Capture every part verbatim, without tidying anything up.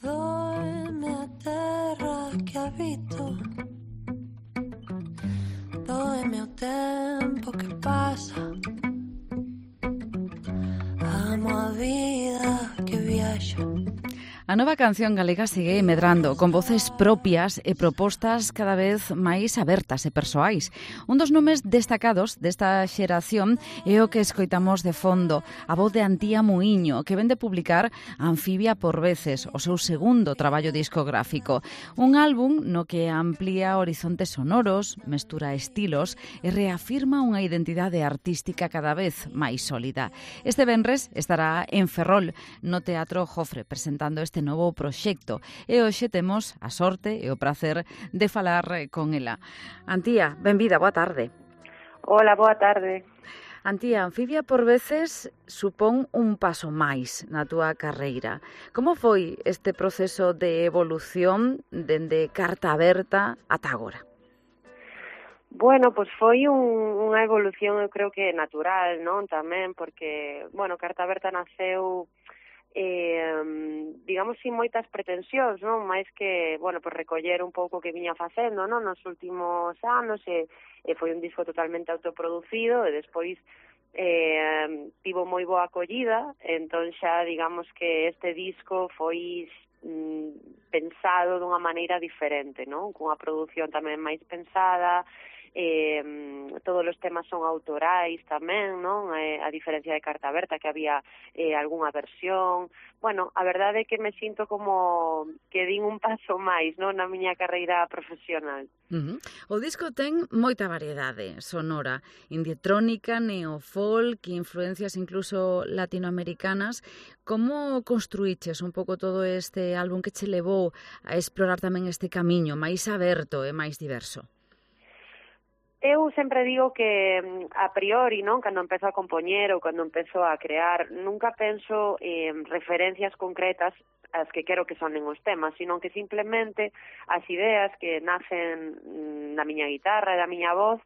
Doime a terra que habito, doime o tempo que pasa, amo a vida que viaxa. A nova canción galega segue medrando, con voces propias e propostas cada vez máis abertas e persoais. Un dos nomes destacados desta xeración é o que escoitamos de fondo, a voz de Antía Muiño, que vende publicar Anfibia por veces, o seu segundo traballo discográfico. Un álbum no que amplía horizontes sonoros, mestura estilos e reafirma unha identidade artística cada vez máis sólida. Este venres estará en Ferrol, no Teatro Jofre, presentando este novo proxecto. E hoxe temos a sorte e o prazer de falar con ela. Antía, benvida, boa tarde. Hola, boa tarde. Antía, Anfibia por veces supón un paso máis na túa carreira. Como foi este proceso de evolución dende Carta Aberta ata agora? Bueno, pois foi un, unha evolución, eu creo que natural, non? Tamén, porque, bueno, Carta Aberta naceu eh, digamos, sin moitas pretensións, non? Mais que, bueno, pues recoller un pouco o que viña facendo, non? Nos últimos anos, e, e foi un disco totalmente autoproducido, e despois eh, tivo moi boa acollida, entón xa, digamos que este disco foi mm, pensado dunha maneira diferente, non? Cunha produción tamén máis pensada, Eh, todos os temas son autorais tamén, non? Eh, a diferencia de Carta Aberta, que había eh, algunha versión. Bueno, a verdade é que me sinto como que din un paso máis, non, na miña carreira profesional. Uh-huh. O disco ten moita variedade sonora, indietrónica, neofolk, influencias incluso latinoamericanas. Como construíches un pouco todo este álbum que che levou a explorar tamén este camiño máis aberto e máis diverso? Eu sempre digo que a priori, non, cando empezo a compoñer ou cando empezo a crear, nunca penso en referencias concretas as que quero que sonen os temas, sino que simplemente as ideas que nacen na miña guitarra e da miña voz,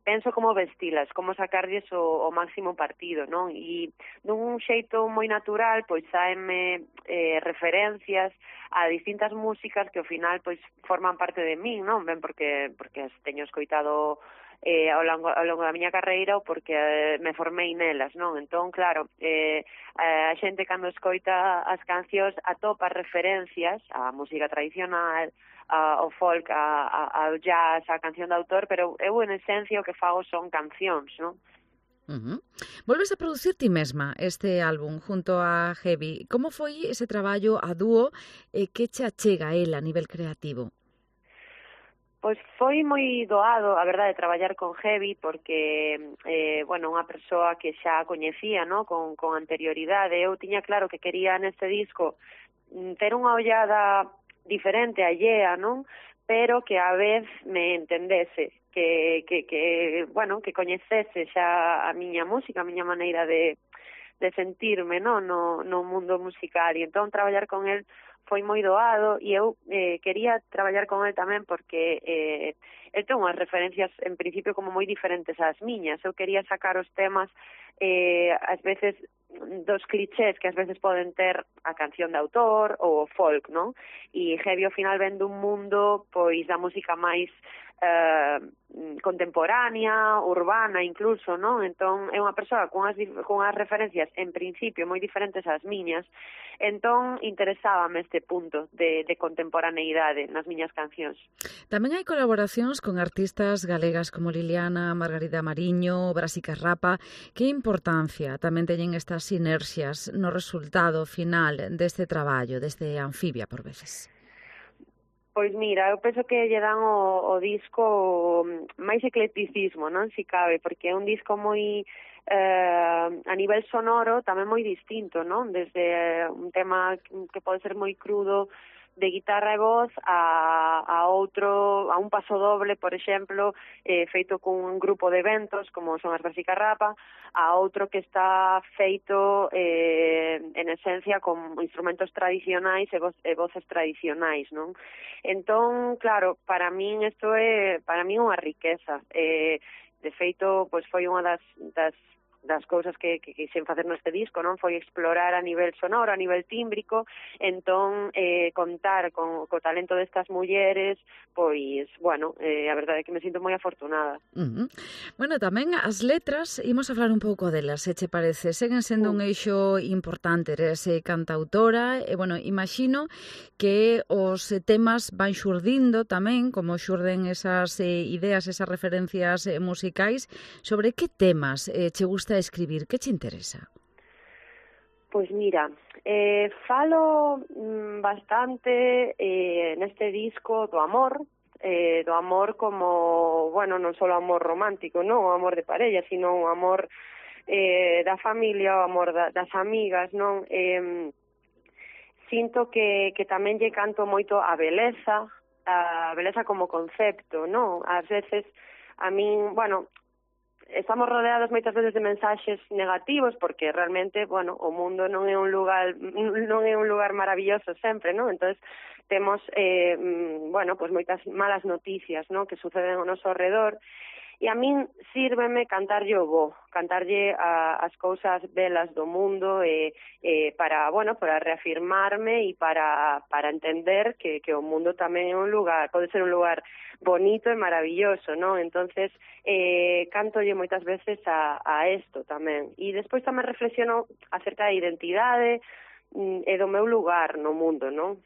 penso como vestilas, como sacarlles o, o máximo partido, non? E dun xeito moi natural, pois saenme eh, referencias a distintas músicas que ao final pois forman parte de min, non? Ben porque porque as teño escoitado eh, ao, longo, ao longo da miña carreira ou porque eh, me formei nelas, non? Entón, claro, eh, a xente cando escoita as cancións atopa referencias á música tradicional, ao folk, a, a, ao jazz, a canción de autor, pero eu en esencia o que fago son cancións, non? Uh-huh. Volves a producir ti mesma este álbum junto a Heavy. Como foi ese traballo a dúo e que che achega a él a nivel creativo? Pois foi moi doado, a verdade, traballar con Heavy, porque, eh, bueno, unha persoa que xa coñecía, no? con, con anterioridade. Eu tiña claro que quería neste disco ter unha ollada diferente, allea, non? Pero que a vez me entendese, que, que, que, bueno, que coñecese xa a miña música, a miña maneira de, de sentirme, non? No, no mundo musical. E entón, traballar con el foi moi doado, e eu eh, quería traballar con el tamén porque eh, el ten unhas referencias en principio como moi diferentes ás miñas. Eu quería sacar os temas eh, ás veces dos clichés que ás veces poden ter a canción de autor ou o folk, non? E Heavy ao final ven dun mundo pois da música máis eh, contemporánea, urbana incluso, non? Entón é unha persoa con as, con as referencias en principio moi diferentes ás miñas, entón interesábame este punto de, de contemporaneidade nas miñas cancións. Tamén hai colaboracións con artistas galegas como Liliana, Margarida Mariño, Brasica Rapa. Que importancia tamén teñen estas sinerxias no resultado final deste traballo, deste Anfibia por veces? Pois mira, eu penso que lle dan o, o disco máis eclecticismo, non? Si cabe, porque é un disco moi eh, a nivel sonoro tamén moi distinto, non? Desde un tema que pode ser moi crudo de guitarra e voz a, a outro, a un paso doble, por exemplo, eh, feito con un grupo de ventos, como son as Brasica Rapa, a outro que está feito eh, en esencia con instrumentos tradicionais e, voz, e voces tradicionais, non? Entón, claro, para min isto é para min unha riqueza. Eh, de feito, pois foi unha das, das das cousas que, que quixen facer neste disco, non, foi explorar a nivel sonoro, a nivel tímbrico, entón eh, contar con co talento destas mulleres, pois, bueno, eh, a verdade é que me sinto moi afortunada. Uh -huh. Bueno, tamén as letras, imos a falar un pouco delas, se che parece, seguen sendo un eixo importante, eres eh, cantautora, e, bueno, imagino que os temas van xurdindo tamén, como xurden esas eh, ideas, esas referencias eh, musicais. Sobre que temas eh, che gusta escribir? Que che interesa? Pois mira, eh, falo mm, bastante eh, neste disco do amor, eh, do amor como, bueno, non só amor romántico, non o amor de parella, sino o amor eh, da familia, o amor da, das amigas, non? Eh, sinto que, que tamén lle canto moito a beleza, a beleza como concepto, non? Ás veces, a min, bueno, estamos rodeados moitas veces de mensaxes negativos porque realmente, bueno, o mundo non é un lugar non é un lugar maravilloso sempre, non? Entonces temos eh, bueno, pues moitas malas noticias, non, que suceden ao noso redor. E a min sírveme cantarlle o bo, cantarlle a, as cousas belas do mundo e, e para, bueno, para reafirmarme e para, para entender que, que o mundo tamén é un lugar, pode ser un lugar bonito e maravilloso, non? Entonces, eh, cantolle moitas veces a, a esto tamén. E despois tamén reflexiono acerca da identidade e do meu lugar no mundo, non?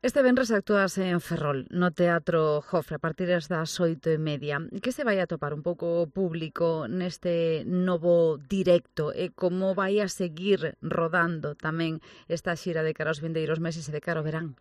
Este venres actúas en Ferrol, no Teatro Jofre, a partir das oito e media. Que se vai a topar un pouco público neste novo directo e como vai a seguir rodando tamén esta xira de cara aos vindeiros meses e de cara ao verán?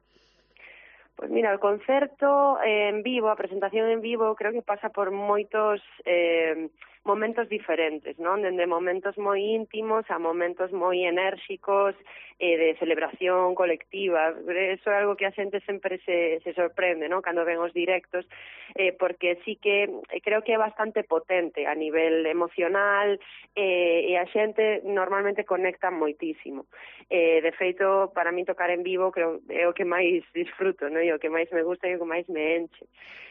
Pois mira, o concerto en vivo, a presentación en vivo, creo que pasa por moitos eh, momentos diferentes, non? Dende momentos moi íntimos a momentos moi enérxicos e eh, de celebración colectiva. Eso é algo que a xente sempre se, se sorprende, non? Cando ven os directos, eh, porque sí que creo que é bastante potente a nivel emocional eh, e a xente normalmente conecta moitísimo. Eh, de feito, para mí tocar en vivo creo é o que máis disfruto, non? E o que máis me gusta e o que máis me enche.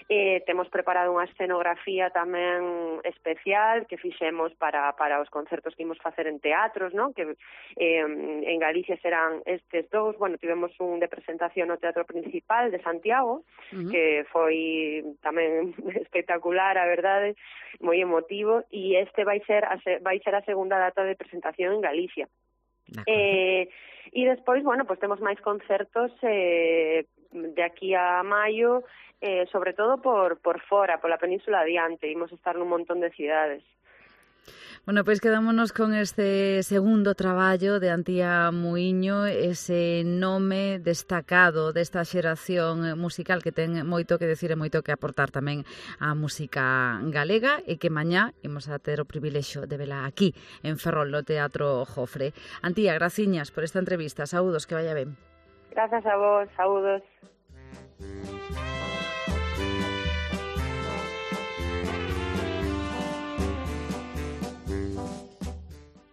Eh, temos preparado unha escenografía tamén especial que fixemos para, para os concertos que imos facer en teatros, non? Que eh, en Galicia serán estes dous. Bueno, tivemos un de presentación no Teatro Principal de Santiago, uh-huh. que foi tamén espectacular, a verdade, moi emotivo, e este vai ser a, vai ser a segunda data de presentación en Galicia. Eh, e despois, bueno, pues temos máis concertos eh, de aquí a maio, eh, sobre todo por, por fora, pola Península adiante, imos estar nun montón de cidades. Bueno, pois quedámonos con este segundo traballo de Antía Muiño, ese nome destacado desta xeración musical que ten moito que decir e moito que aportar tamén á música galega e que mañá imos a ter o privilexio de vela aquí, en Ferrol, no Teatro Jofre. Antía, graciñas por esta entrevista. Saúdos, que vaya ben. Grazas a vos, saúdos.